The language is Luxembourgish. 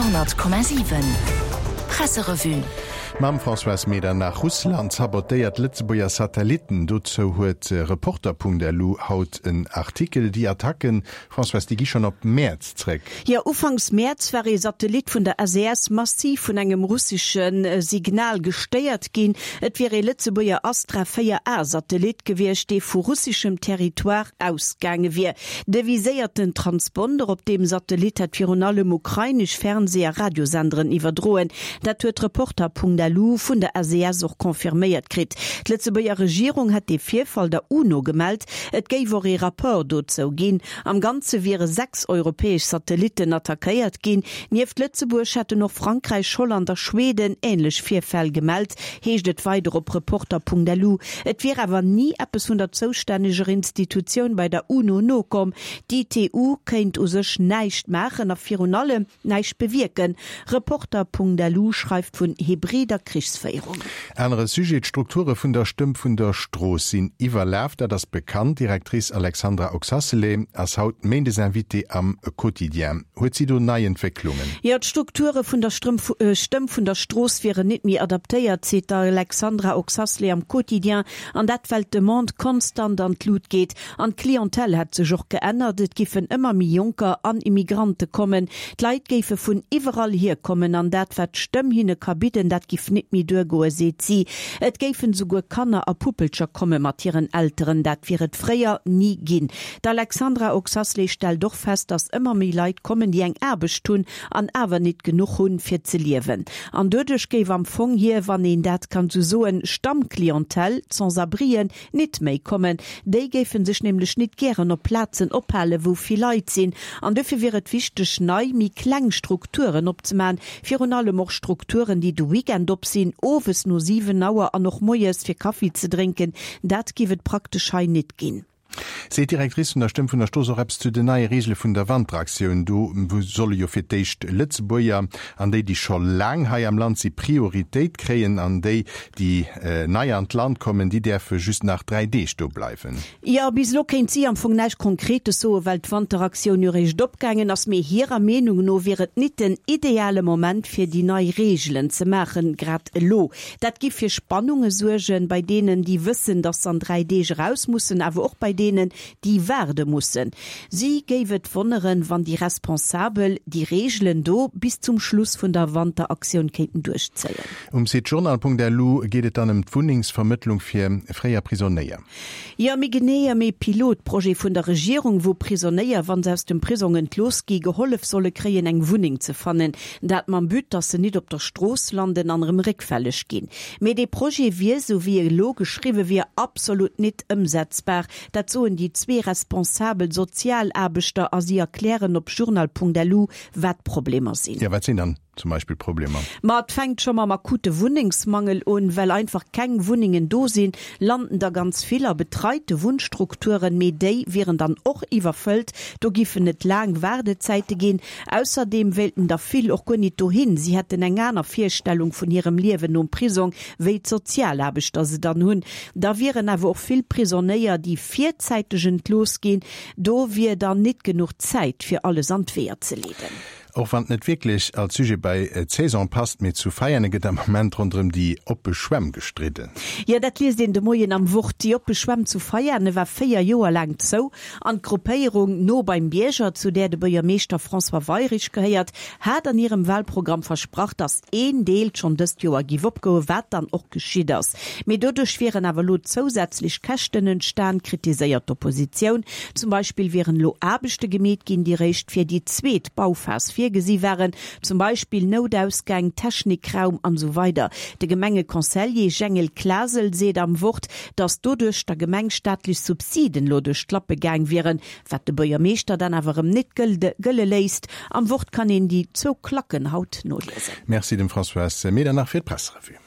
Radio,7 Presserevue. Mam Françoise Medernach, Russland sabotéiert Lëtzebuerger Satellitten. Dozou huet Reporter.lu haut en Artikel. Déi Attacken, Françoise, déi gi schonn op Mäerz zréck. Jo, ufanks Mäerz war ee Satellit vun der SES massiv vun engem russesche Signal gestéiert ginn. Et wier ee Lëtzebuerger Astra 4 A Satellit gewiescht, dee vu russeschem Territoire ausgaange wier. De viséierten Transponder op deem Satellit hätt virun allem ukrainesch Fernsee a Radiosenderen iwwerdroen. Dat huet Reporter.lu vun der SES och confirméiert kritt. D'Lëtzebuerger Regierung hätt dee Virfall der UNO gemellt. Et géif och ee Rapport dozou ginn. Am Ganze wiere 6 europäesch Satellitten attackéiert ginn. Nieft Lëtzebuerg hätten och Frankräich, Holland a Schweden änlech Virfäll gemellt, heescht et weider op Reporter.lu. Et wier awer ni eppes vun der zoustänneger Institutioun bei der UNO nokomm. D'ITU kéint u sech näischt maachen a virun allem näischt bewierken. Reporter.lu schreift vun hybrider Krichsféierung. Anere Sujet, D'Strukture vun der Stëmm vun der Strooss sinn iwwerlaf, dat ass bekannt. D'Directrice Alexandra Oxacelay ass haut Méindesinvitée am Quotidien. Huet si do nei Entwécklungen? Jo, d'Strukture vun der Stëmm vun der Strooss wieren nit méi adaptéiert, seet d'Alexandra Oxacelay am Quotidien. An dat well d'Demande konstant an d'Lut geet. An d'Clientèle hätt sech och geännert, et giffen ëmmer méi Jonker an Immigrante kommen. D'Leit géife vun iwwerall hier kommen an dat wat d'Stëmm hinne ka bidden, dat giff nit méi duergoen, seet si. Et géifen esouguer Kanner a Puppelcher komme mat hiren Elteren, dat wier et fréier ni ginn. D'Alexandra Oxacelay stellt och fest, datt ëmmer méi Leit kommen, déi eng Aarbecht hunn an awer nit genuch hunn, fir ze liewen. An doduerch géif am Fong hir, wann een dat kann esou soen, Stammclientèle, d'Sans-abrien, nit méi kommen. Déi géife sech nämlech nit gären op Plazen ophalen, wou vill Leit sinn. An dofir wier et wichteg, nei, méi kleng Strukturen opzemaen, virun allem och Strukturen, déi de Weekend op sinn, owes no 7 Auer an och moies fir Kaffi ze drénken. Dat giff et praktesch hei nit ginn. Seet d'Directrice vun der Stëmm vun der Strooss och eppes zu den neie Reegele vun der Wanteraktioun? Do solle jo fir d'éischt Lëtzebuerger an déi, déi scho laang hei am Land si, Prioritéit kréien an déi, déi nei an d'Land kommen, déi däerfe just nach 3 Deeg do bleiwen. Jo, bis elo kéint si am Fong näischt Konkretes soen, well d'Wanteraktioun jo réischt opgaangen ass. Mee hirer Meenung no wier et nit den ideale Moment, fir déi nei Reegelen ze maachen, grad elo. Dat giff fir Spannunge suergen, bei deenen, déi wëssen, datt s'an 3 Deeg eraus mussen, awer och bei deenen, déi waarde mussen. Si géif et wonneren, wann déi Responsabel déi Reegelen do bis zum Schluss vun der Wanteraktioun kéinten duerchzéien. Um Site journal.lu geet et dann ëm d'Wunnengsvermëttlung fir fréier Prisonéier. Jo, méi genee ëm ee Pilotprojet vun der Regierung, wou Prisonéier, wa se aus dem Prisong entlooss gi, gehollef solle kréien, eng Wunneng ze fannen. Dat mam But, datt se nit op der Strooss landen an erëm réckfälleg ginn. Mee dee Projet wier, sou wéi e elo geschriwwe wier, absolut nit ëmsetzbar. Dat soen déi zwee responsabel Sozialaarbechter a si erklären op journal.lu, wat d'Problemer sinn. Jo, wat sinn dann zum Beispill d'Problemer? Ma et fänkt scho mam akute Wunnengsmangel un. Well einfach keng Wunnengen do sinn, landen der ganz vill a betreite Wunnstrukturen, mee déi wieren dann och iwwerfëllt. Do giffen et laang Waardezäite ginn. Ausserdeem wéilten der vill och guer nit dohin. Si hätten eng aner Virstellung vun hirem Liewen nom Prisong, wéi d'Sozialaarbechter se dann hunn. Da wieren awer och vill Prisonéier, déi virzäiteg entlooss ginn. Do wier dann nit genuch Zäit, fir alles an d'Weeër ze leeden. Och wann et net wierklech als Sujet bei d'Saison passt, mee zu Veiane gëtt am Moment ronderëm déi oppe Schwämm gestridden. Jo, dat liest een de Moien am Wort. Déi oppe Schwämm zu Veiane war 4 Joer laang zou an d'Gruppéierung No beim Bierger, zu där de Buergermeeschter François Weyrich gehéiert, hat an hirem Wahlprogramm versprach, datt een Deel schonn dëst Joer giff opgoen, wat dann och geschitt ass. Mee doduerch wieren awer elo zousätzlech Käschten entstan, kritiséiert d'Oppositioun. Zum Beispill wieren elo Aarbechte gemeet ginn, déi réischt fir déi zweet Bauphas virgesi waren, zum Beispill Noutausgäng, Technikraum an esou weider De Gemengeconseiller Jengel Klasel seet am Wort, datt doduerch der Gemeng staatlech Subsiden elo duerch d'Lappe gaang wieren, wat de Buergermeeschter dann awer erëm nit gëlle léisst. Am Wort kann een déi zwou Klacken haut noliesen. Merci dem Françoise Medernach fir d'Presserevue.